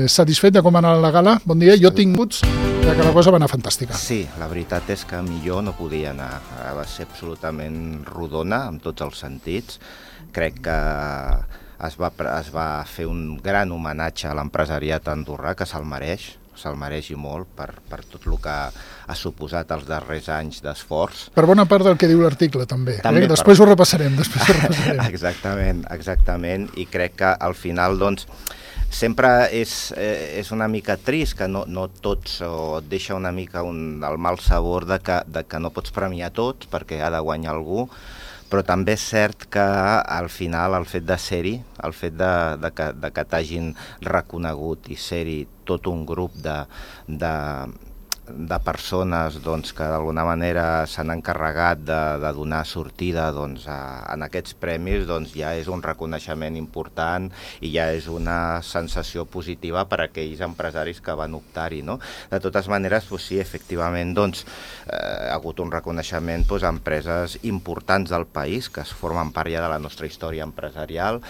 satisfet de com va anar la gala? Bon dia, jo tinc gots que la cosa va anar fantàstica. Sí, la veritat és que millor no podia anar. Va ser absolutament rodona en tots els sentits. Crec que es va fer un gran homenatge a l'empresariat andorrà, que se'l mereix i molt per tot el que ha suposat els darrers anys d'esforç. Per bona part del que diu l'article, també. Després ho repassarem. Exactament, i crec que al final, doncs, sempre és una mica trist que no tots, o et deixa una mica el mal sabor de que no pots premiar tots perquè ha de guanyar algú, però també és cert que al final el fet de ser-hi, el fet de que t'hagin reconegut i ser-hi tot un grup de persones doncs, que d'alguna manera s'han encarregat de donar sortida doncs, en aquests premis, doncs, ja és un reconeixement important i ja és una sensació positiva per a aquells empresaris que van optar-hi, no? De totes maneres, doncs, sí, efectivament, doncs, ha hagut un reconeixement doncs, a empreses importants del país que es formen part ja de la nostra història empresarial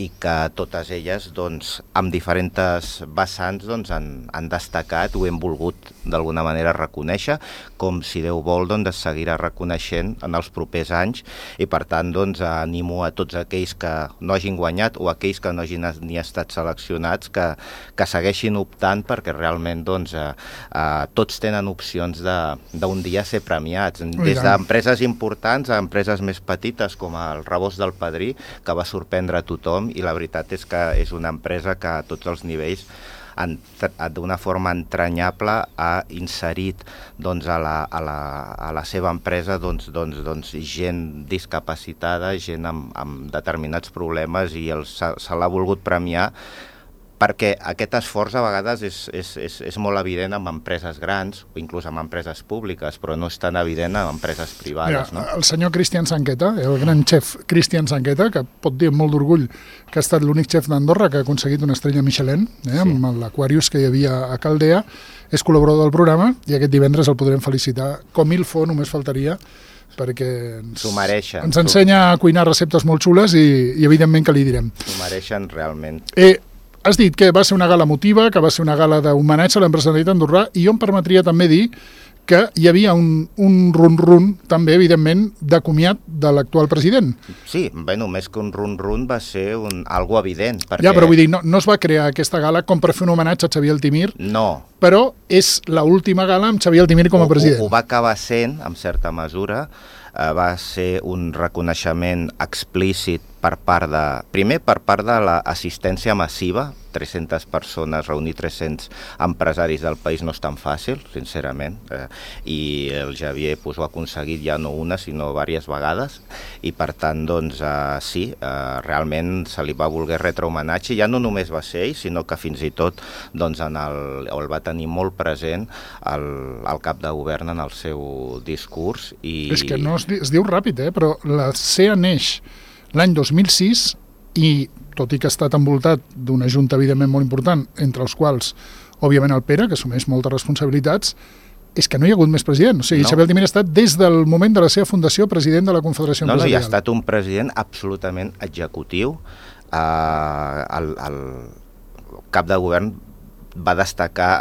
i que totes elles, doncs, amb diferents vessants, doncs, han destacat, ho hem volgut d'alguna manera reconèixer, com si Déu vol, doncs, es seguirà reconeixent en els propers anys, i per tant, doncs, animo a tots aquells que no hagin guanyat o aquells que no hagin ni estat seleccionats que segueixin optant, perquè realment, doncs, tots tenen opcions d'un dia ser premiats, des d'empreses importants a empreses més petites, com el Rebost del Padrí, que va sorprendre a tothom, i la veritat és que és una empresa que a tots els nivells d'una forma entranyable ha inserit doncs, a la seva empresa doncs, gent discapacitada, gent amb determinats problemes, i se l'ha volgut premiar perquè aquest esforç a vegades és molt evident en empreses grans o inclús en empreses públiques, però no és tan evident en empreses privades. Mira, el senyor Cristian Sanqueta, el gran xef Cristian Sanqueta, que pot dir amb molt d'orgull que ha estat l'únic xef d'Andorra que ha aconseguit una estrella Michelin, amb l'Aquarius que hi havia a Caldea, és col·laborador del programa i aquest divendres el podrem felicitar com il fo, només faltaria, perquè ens ensenya a cuinar receptes molt xules i evidentment que li direm. S'ho mereixen realment. Has dit que va ser una gala emotiva, que va ser una gala d'homenatge a l'empresariat andorrà, i jo em permetria també dir que hi havia un run-run, també, evidentment, de comiat de l'actual president. Sí, bueno, més que un run-run va ser algo evident. Ja, però vull dir, no es va crear aquesta gala com per fer un homenatge a Xavier Altimir, no, però és l'última gala amb Xavier Altimir com a president. Ho va acabar sent, en certa mesura, va ser un reconeixement explícit primer per part de l'assistència massiva, 300 persones, reunir 300 empresaris del país no és tan fàcil, sincerament, i el Xavier ho ha aconseguit ja no una, sinó diverses vegades, i per tant, doncs, sí, realment se li va voler retre homenatge, ja no només va ser ell, sinó que fins i tot doncs, el va tenir molt present el cap de govern en el seu discurs. És que no es diu ràpid, però la CEA neix l'any 2006 i, tot i que ha estat envoltat d'una junta evidentment molt important, entre els quals, òbviament, el Pere, que assumeix moltes responsabilitats, és que no hi ha hagut més president. O sigui, Xavier Altimir ha estat, des del moment de la seva fundació, president de la Confederació Empresarial. No, ha estat un president absolutament executiu. El cap de govern va destacar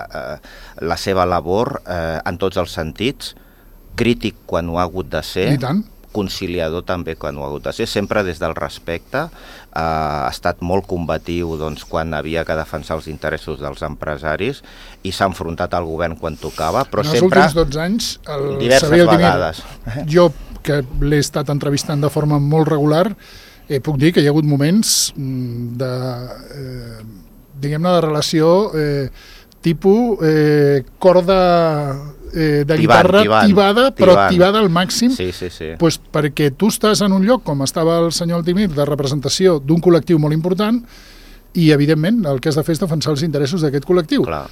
la seva labor en tots els sentits, crític quan ho ha hagut de ser, i tant, conciliador també quan ho ha hagut de ser, sempre des del respecte, ha estat molt combatiu doncs, quan havia que defensar els interessos dels empresaris i s'ha enfrontat al govern quan tocava, però sempre... En els últims 12 anys, diverses vegades. Jo, que l'he estat entrevistant de forma molt regular, puc dir que hi ha hagut moments diguem-ne, de relació tipus corda de guitarra tibada, però tibada al màxim, pues perquè tu estàs en un lloc, com estava el senyor Altimir, de representació d'un col·lectiu molt important, i evidentment el que has de fer és defensar els interessos d'aquest col·lectiu. Clar.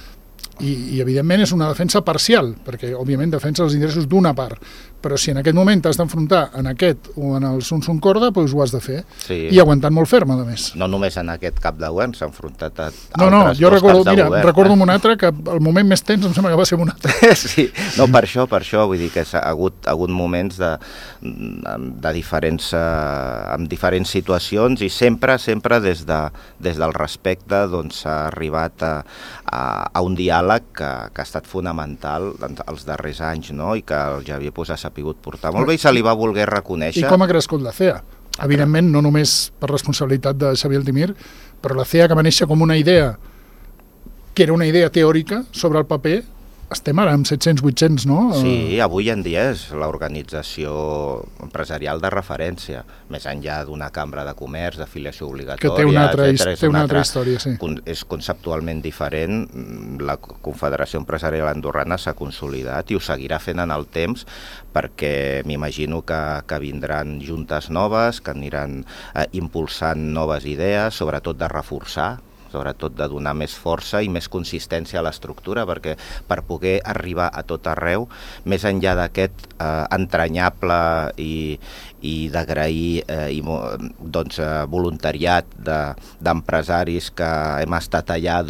I evidentment és una defensa parcial, perquè òbviament defensa els interessos d'una part, però si en aquest moment t'has d'enfrontar en aquest o en el Sun Corda, doncs ho has de fer. Sí. I aguantant molt ferm, a més. No només en aquest cap de govern, s'ha enfrontat a No, altres jo dos recordo, caps de govern. recordo un altre que el moment més tens em sembla que va ser un altre. Sí, no, per això, vull dir que ha hagut moments de diferents, amb diferents situacions i sempre des del respecte doncs, s'ha arribat a un diàleg que ha estat fonamental els darrers anys, no? I que el Javier s'ha sapigut portar molt bé i se li va voler reconèixer. I com ha crescut la CEA? Evidentment, no només per responsabilitat de Xavier Altimir, però la CEA, que va néixer com una idea, que era una idea teòrica sobre el paper, estem ara amb 700-800, no? Sí, avui en dia és l'organització empresarial de referència, més enllà d'una cambra de comerç, d'afiliació obligatòria, que té una altra història, sí. És conceptualment diferent. La Confederació Empresarial Andorrana s'ha consolidat i ho seguirà fent en el temps, perquè m'imagino que vindran juntes noves, que aniran impulsant noves idees, sobretot de reforçar, sobretot de donar més força i més consistència a l'estructura, perquè per poder arribar a tot arreu, més enllà d'aquest entranyable i d'agrair voluntariat d'empresaris que hem estat allà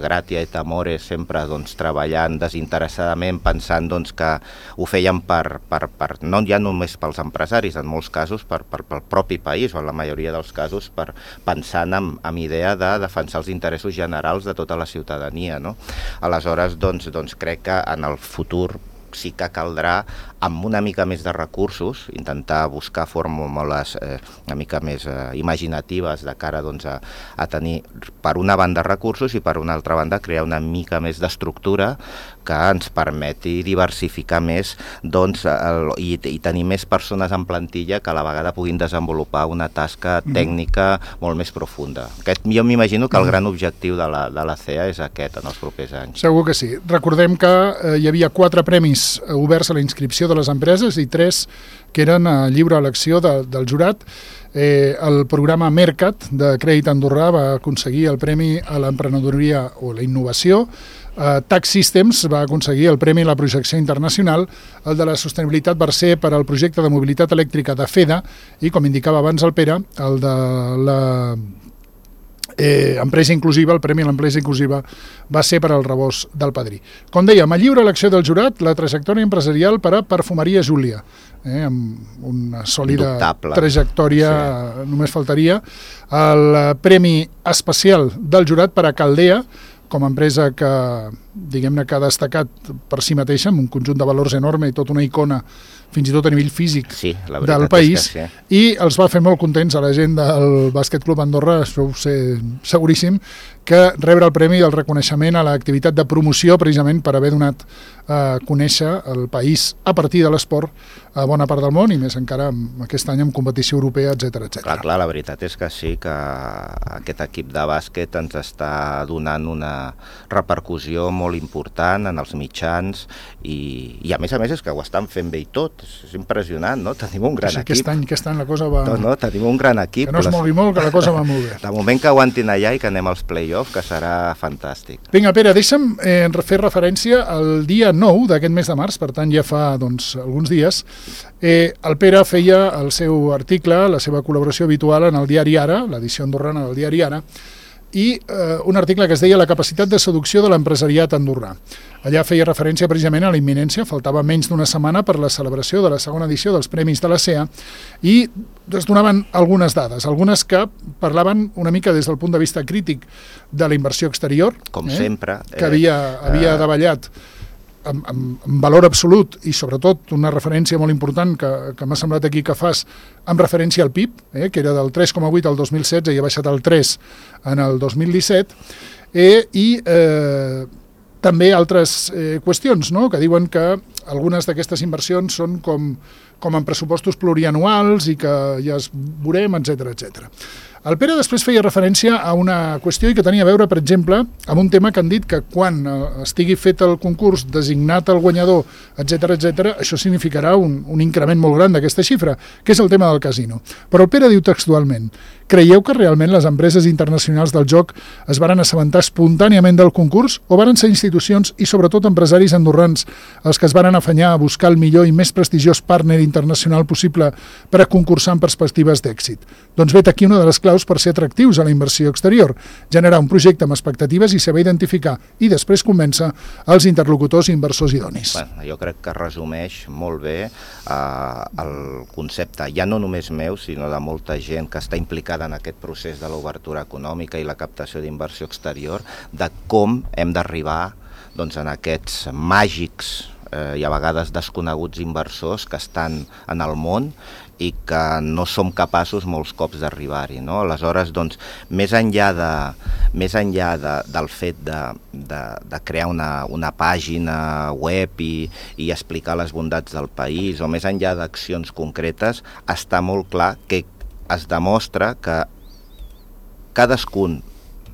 gratia et amore, sempre treballant desinteressadament, pensant que ho feien no ja només pels empresaris, en molts casos pel propi país, o en la majoria dels casos pensant amb idea de defensar els interessos generals de tota la ciutadania, no? Aleshores, crec que en el futur sí que caldrà, amb una mica més de recursos, intentar buscar fórmules una mica més imaginatives de cara a tenir, per una banda, recursos i per una altra banda crear una mica més d'estructura que ens permeti diversificar més i tenir més persones en plantilla que a la vegada puguin desenvolupar una tasca tècnica molt més profunda. Jo m'imagino que el gran objectiu de la CEA és aquest en els propers anys. Segur que sí. Recordem que hi havia 4 premis oberts a la inscripció de les empreses i 3 que eren a lliure elecció del jurat. El programa Mercat de Crèdit Andorrà va aconseguir el premi a l'emprenedoria o la innovació. Tax Systems va aconseguir el premi a la projecció internacional. El de la sostenibilitat va ser per al projecte de mobilitat elèctrica de FEDA i, com indicava abans el Pere, el de la empresa inclusiva, el premi a l'empresa inclusiva va ser per al rebost del padrí. Com dèiem, a lliure elecció del jurat, la trajectòria empresarial per a Perfumeria Júlia, amb una sòlida trajectòria, només faltaria. El premi especial del jurat per a Caldea, com a empresa que, diguem-ne, que ha destacat per si mateixa, amb un conjunt de valors enorme i tota una icona, fins i tot a nivell físic, del país, i els va fer molt contents a la gent del Bàsquet Club Andorra, això ho sé seguríssim, que rebre el premi del reconeixement a l'activitat de promoció, precisament per haver donat a conèixer el país a partir de l'esport a bona part del món, i més encara aquest any amb competició europea, etc. Clar, la veritat és que sí, que aquest equip de bàsquet ens està donant una repercussió molt important en els mitjans i a més és que ho estan fent bé i tot, és impressionant, no? Tenim un gran equip. Aquest any la cosa va... No, tenim un gran equip. Que no es mogui molt, que la cosa va molt bé. De moment que aguantin allà i que anem als play-off, que serà fantàstic. Vinga, Pere, deixa'm fer referència al dia 9 d'aquest mes de març, per tant ja fa alguns dies. El Pere feia el seu article, la seva col·laboració habitual en el diari Ara, l'edició andorrana del diari Ara, i un article que es deia La capacitat de seducció de l'empresariat andorrà. Allà feia referència precisament a la imminència, faltava menys d'una setmana per la celebració de la segona edició dels Premis de la CEA, i es donaven algunes dades, algunes que parlaven una mica des del punt de vista crític de la inversió exterior, com sempre, que havia davallat amb valor absolut, i sobretot una referència molt important que m'ha semblat aquí que fas amb referència al PIB, que era del 3,8 al 2016 i ha baixat al 3 en el 2017, i també altres qüestions, no?, que diuen que algunes d'aquestes inversions són com en pressupostos plurianuals i que ja es veurem, etc. El Pere després feia referència a una qüestió i que tenia a veure, per exemple, amb un tema que han dit que quan estigui fet el concurs, designat el guanyador, etc, això significarà un increment molt gran d'aquesta xifra, que és el tema del casino. Però el Pere diu textualment: creieu que realment les empreses internacionals del joc es varen assabentar espontàniament del concurs o varen ser institucions i sobretot empresaris andorrans els que es varen afanyar a buscar el millor i més prestigiós partner internacional possible per a concursar en perspectives d'èxit? Doncs vet aquí una de les claus per ser atractius a la inversió exterior, generar un projecte amb expectatives i saber identificar i després convèncer els interlocutors i inversors idonis. Bueno, jo crec que resumeix molt bé el concepte, ja no només meu, sinó de molta gent que està implicada en aquest procés de l'obertura econòmica i la captació d'inversió exterior, de com hem d'arribar en aquests màgics i a vegades desconeguts inversors que estan en el món i que no som capaços molts cops d'arribar-hi, no? Aleshores, més enllà del fet de crear una pàgina web i explicar les bondats del país, o més enllà d'accions concretes, està molt clar que es demostra que cadascun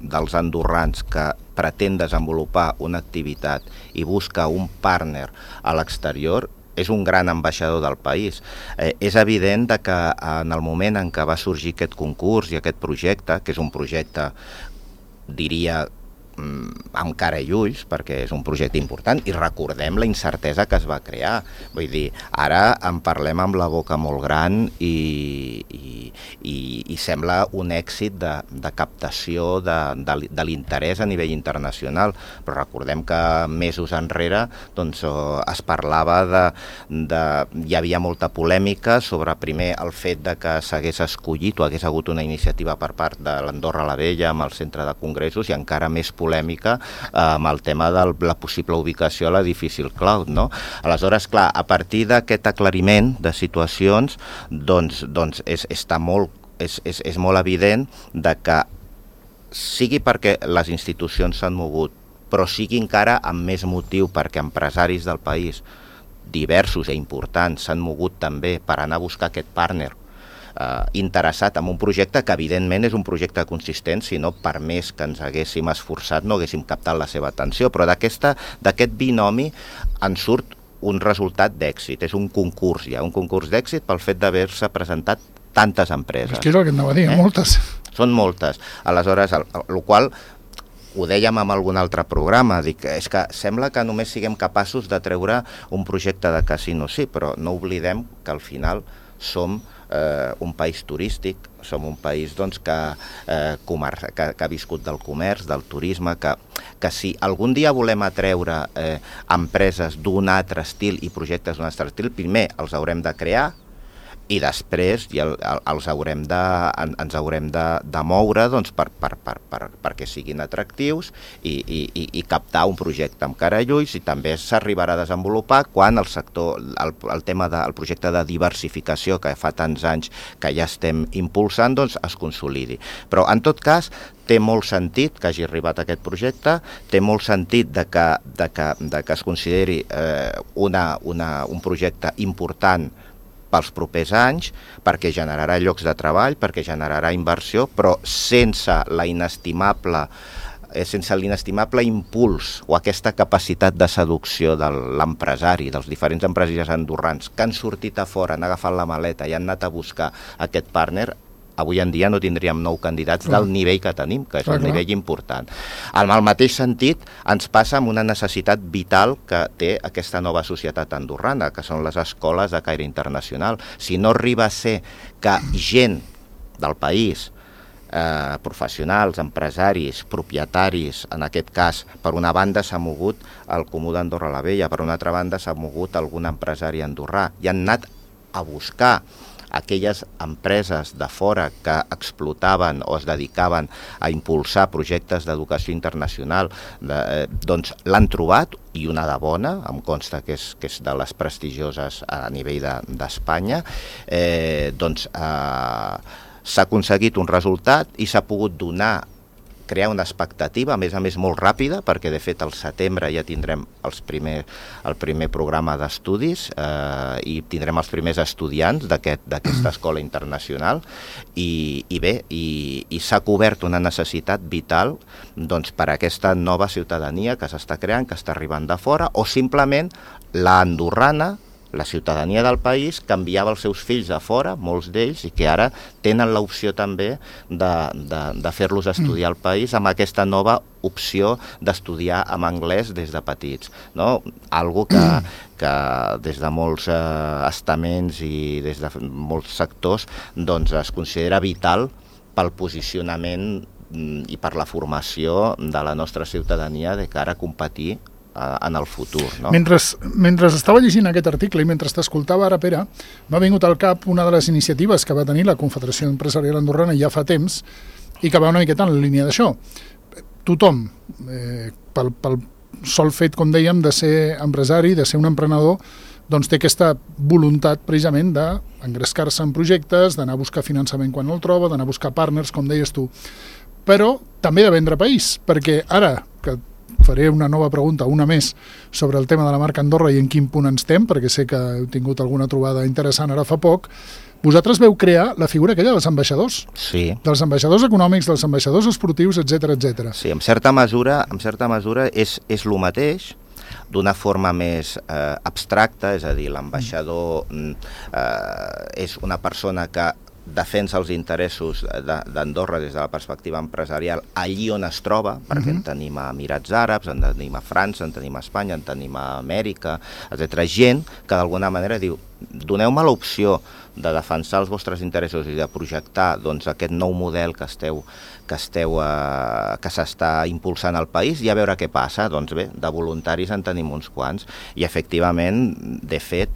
dels andorrans que pretén desenvolupar una activitat i busca un partner a l'exterior és un gran ambaixador del país. És evident que en el moment en què va sorgir aquest concurs i aquest projecte, que és un projecte, diria, amb cara i ulls, perquè és un projecte important, i recordem la incertesa que es va crear. Vull dir, ara en parlem amb la boca molt gran i sembla un èxit de captació de l'interès a nivell internacional, però recordem que mesos enrere es parlava hi havia molta polèmica sobre primer el fet de que s'hagués escollit o hagués hagut una iniciativa per part de l'Andorra la Vella amb el centre de congressos i encara més polèmica amb el tema de la possible ubicació a l'edifici Cloud, no? Aleshores, clar, a partir d'aquest aclariment de situacions, és molt evident que sigui perquè les institucions s'han mogut, però sigui encara amb més motiu perquè empresaris del país diversos i importants s'han mogut també per anar a buscar aquest partner interessat en un projecte que evidentment és un projecte consistent, si no per més que ens haguéssim esforçat no haguéssim captat la seva atenció, però d'aquest binomi en surt un resultat d'èxit, és un concurs ja, un concurs d'èxit pel fet d'haver-se presentat tantes empreses. És que és el que anava a dir, moltes. Són moltes. Aleshores, el qual ho dèiem en algun altre programa, dic, és que sembla que només siguem capaços de treure un projecte de casino, sí, però no oblidem que al final som un país turístic, som un país que ha viscut del comerç, del turisme, que si algun dia volem atreure empreses d'un altre estil i projectes d'un altre estil, primer els haurem de crear i després ens haurem de moure perquè siguin atractius i captar un projecte amb cara i ulls, i també s'arribarà a desenvolupar quan el tema del projecte de diversificació que fa tants anys que ja estem impulsant es consolidi. Però en tot cas té molt sentit que hagi arribat aquest projecte, té molt sentit que es consideri un projecte important pels propers anys, perquè generarà llocs de treball, perquè generarà inversió, però sense l'inestimable impuls o aquesta capacitat de seducció de l'empresari, dels diferents empresaris andorrans que han sortit a fora, han agafat la maleta i han anat a buscar aquest partner, avui en dia no tindríem 9 candidats del nivell que tenim, que és un nivell important. En el mateix sentit, ens passa amb una necessitat vital que té aquesta nova societat andorrana, que són les escoles de caire internacional. Si no arriba a ser que gent del país, professionals, empresaris, propietaris, en aquest cas, per una banda s'ha mogut el Comú d'Andorra la Vella, per una altra banda s'ha mogut algun empresari andorrà, i han anat a buscar aquelles empreses de fora que explotaven o es dedicaven a impulsar projectes d'educació internacional, l'han trobat, i una de bona, em consta que és de les prestigioses a nivell d'Espanya, s'ha aconseguit un resultat i s'ha pogut donar crear una expectativa, a més molt ràpida, perquè de fet al setembre ja tindrem el primer programa d'estudis i tindrem els primers estudiants d'aquesta escola internacional i s'ha cobert una necessitat vital doncs, per a aquesta nova ciutadania que s'està creant, que està arribant de fora, o simplement la andorrana, la ciutadania del país, que enviava els seus fills a fora, molts d'ells, i que ara tenen l'opció també de fer-los estudiar al país amb aquesta nova opció d'estudiar en anglès des de petits. No? Algo que des de molts estaments i des de molts sectors doncs, es considera vital pel posicionament i per la formació de la nostra ciutadania de cara a competir en el futur. No? Mentre estava llegint aquest article i mentre t'escoltava ara, Pere, m'ha vingut al cap una de les iniciatives que va tenir la Confederació Empresarial Andorrana ja fa temps i que va una miqueta en la línia d'això. Tothom, pel sol fet, com dèiem, de ser empresari, de ser un emprenedor, doncs té aquesta voluntat precisament d'engrescar-se en projectes, d'anar a buscar finançament quan el troba, d'anar a buscar partners, com deies tu, però també de vendre país, perquè ara que faré una nova pregunta, una més, sobre el tema de la marca Andorra i en quin punt ens estem, perquè sé que heu tingut alguna trobada interessant ara fa poc. Vosaltres veu crear la figura aquella dels ambaixadors. Sí. Dels ambaixadors econòmics, dels ambaixadors esportius, etc etc. Sí, en certa mesura és el mateix, d'una forma més abstracta, és a dir, l'ambaixador és una persona que defensa els interessos d'Andorra des de la perspectiva empresarial allí on es troba, perquè en tenim a Emirats Àrabs, en tenim a França, en tenim a Espanya, en tenim a Amèrica, etc. Gent que d'alguna manera diu, doneu-me l'opció de defensar els vostres interessos i de projectar doncs, aquest nou model que s'està impulsant al país i a veure què passa. Doncs bé, de voluntaris en tenim uns quants i efectivament, de fet,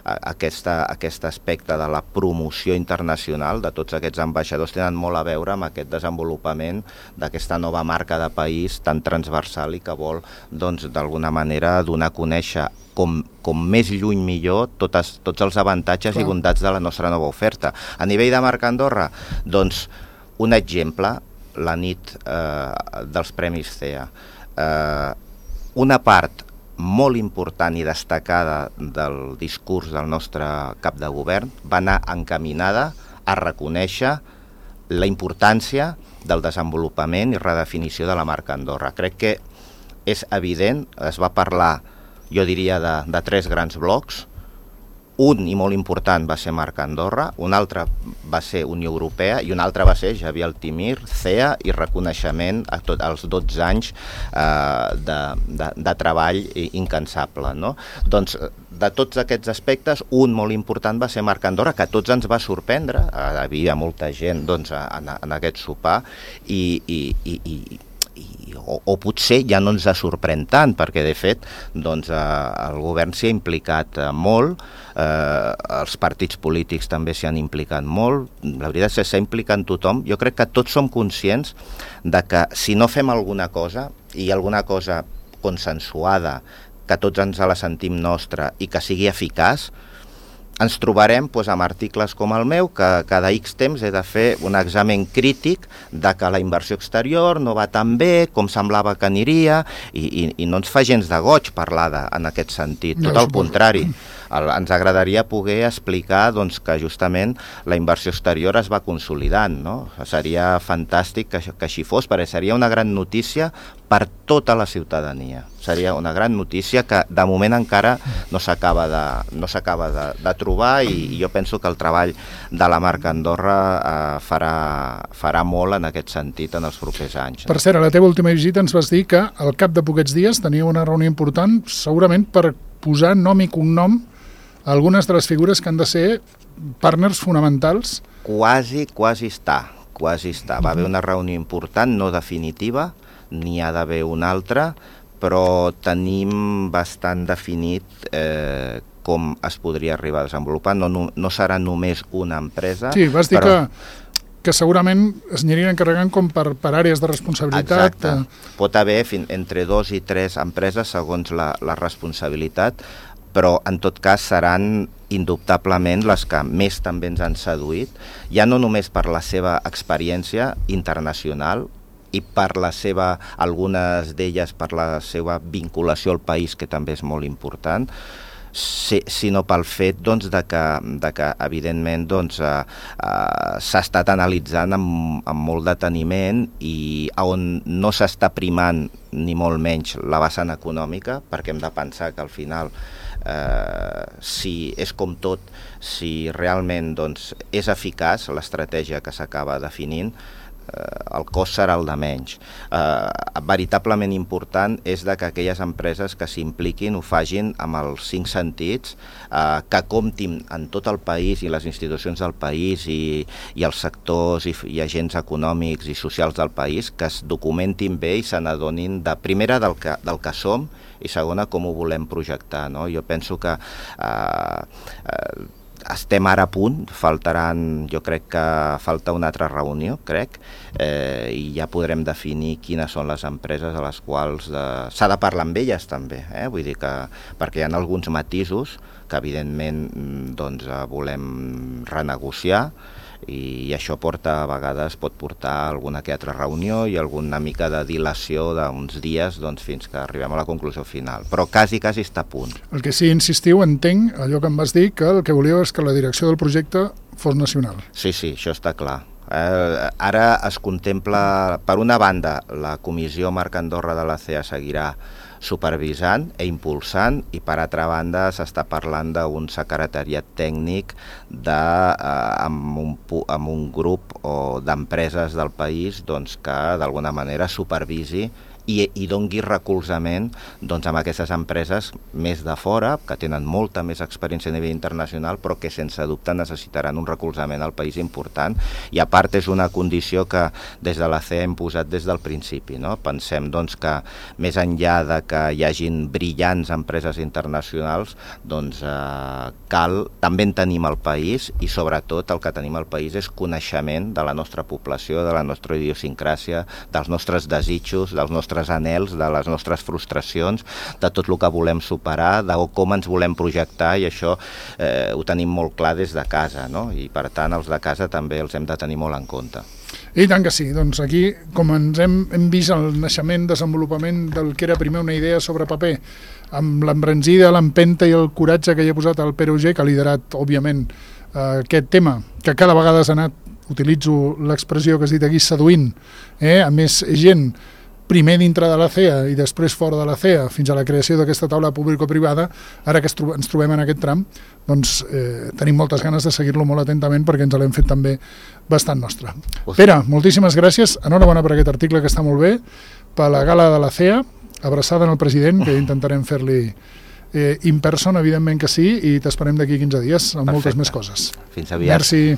aquest aspecte de la promoció internacional de tots aquests ambaixadors tenen molt a veure amb aquest desenvolupament d'aquesta nova marca de país tan transversal i que vol, doncs, d'alguna manera donar a conèixer com més lluny millor tots els avantatges i bondats de la nostra nova oferta. A nivell de marca Andorra, doncs, un exemple, la nit dels Premis CEA. Una part molt important i destacada del discurs del nostre cap de govern va anar encaminada a reconèixer la importància del desenvolupament i redefinició de la marca Andorra. Crec que és evident, es va parlar, jo diria, de tres grans blocs. Un, i molt important, va ser marca Andorra, un altre va ser Unió Europea i un altre va ser Xavier Altimir, CEA i reconeixement a als 12 anys de treball incansable. No? Doncs de tots aquests aspectes, un molt important va ser marca Andorra, que a tots ens va sorprendre, hi havia molta gent doncs, en aquest sopar o potser ja no ens sorprèn tant, perquè de fet doncs, el govern s'hi ha implicat molt, els partits polítics també s'hi han implicat molt, la veritat és que s'ha implicat tothom. Jo crec que tots som conscients de que si no fem alguna cosa, i alguna cosa consensuada, que tots ens la sentim nostra i que sigui eficaç, ens trobarem amb articles com el meu, que cada X temps he de fer un examen crític de que la inversió exterior no va tan bé com semblava que aniria i no ens fa gens de goig parlar en aquest sentit, tot al contrari. Ens agradaria poder explicar doncs, que justament la inversió exterior es va consolidant. No? Seria fantàstic que així fos, perquè seria una gran notícia per tota la ciutadania. Seria una gran notícia que de moment encara no s'acaba de trobar i jo penso que el treball de la marca Andorra farà molt en aquest sentit en els propers anys. Per cert, a la teva última visita ens vas dir que al cap de poquets dies tenia una reunió important segurament per posar nom i cognom a algunes de les figures que han de ser partners fonamentals. Quasi està. Va haver una reunió important, no definitiva, n'hi ha d'haver una altra, però tenim bastant definit com es podria arribar a desenvolupar. No serà només una empresa. Sí, vas dir que segurament es anirien encarregant com per àrees de responsabilitat. Exacte. Pot haver entre 2 i 3 empreses segons la responsabilitat, però en tot cas seran indubtablement les que més també ens han seduït, ja no només per la seva experiència internacional, i per la seva, algunes d'elles per la seva vinculació al país, que també és molt important, sinó pel fet doncs, de que evidentment doncs, s'ha estat analitzant amb molt deteniment i on no s'està primant ni molt menys la vessant econòmica, perquè hem de pensar que al final si és com tot, si realment doncs, és eficaç l'estratègia que s'acaba definint, el cost serà el de menys. Veritablement important és que aquelles empreses que s'impliquin ho facin amb els 5 sentits, que comptin en tot el país i les institucions del país i els sectors i agents econòmics i socials del país, que es documentin bé i se n'adonin de primera del que som i segona com ho volem projectar, no? Jo penso que estem ara a punt, jo crec que falta una altra reunió, i ja podrem definir quines són les empreses a les quals s'ha de parlar amb elles també, vull dir que perquè hi ha alguns matisos que evidentment doncs, volem renegociar i això a vegades pot portar a alguna que altra reunió i alguna mica de dilació d'uns dies doncs, fins que arribem a la conclusió final, però quasi està a punt. El que sí, insistiu, entenc allò que em vas dir, que el que volíeu és que la direcció del projecte fos nacional. Sí, això està clar. Ara es contempla, per una banda, la Comissió Marc Andorra de la CEA seguirà supervisant i impulsant, i per altra banda s'està parlant d'un secretariat tècnic amb un grup d'empreses del país doncs, que d'alguna manera supervisi i dongui recolzament doncs, amb aquestes empreses més de fora, que tenen molta més experiència a nivell internacional, però que sense dubte necessitaran un recolzament al país important. I a part és una condició que des de la CEA hem posat des del principi, no? Pensem doncs, que més enllà de que hi hagin brillants empreses internacionals, doncs també en tenim al país, i sobretot el que tenim al país és coneixement de la nostra població, de la nostra idiosincràsia, dels nostres desitjos, dels nostres anhels, de les nostres frustracions, de tot el que volem superar, de com ens volem projectar, i això ho tenim molt clar des de casa, no? I per tant els de casa també els hem de tenir molt en compte. I tant que sí, doncs aquí com ens hem vist el naixement, desenvolupament del que era primer una idea sobre paper, amb l'embranzida, l'empenta i el coratge que hi ha posat el Pere Auger, que ha liderat òbviament aquest tema, que cada vegada s'ha anat, utilitzo l'expressió que has dit aquí, seduint a més gent, primer dintre de la CEA i després fora de la CEA, fins a la creació d'aquesta taula público-privada. Ara que ens trobem en aquest tram, doncs tenim moltes ganes de seguir-lo molt atentament, perquè ens l'hem fet també bastant nostre. Pere, moltíssimes gràcies, enhorabona per aquest article que està molt bé, per la gala de la CEA, abraçada en el president, que intentarem fer-li in person, evidentment que sí, i t'esperem d'aquí 15 dies amb moltes més coses. Fins aviat. Merci.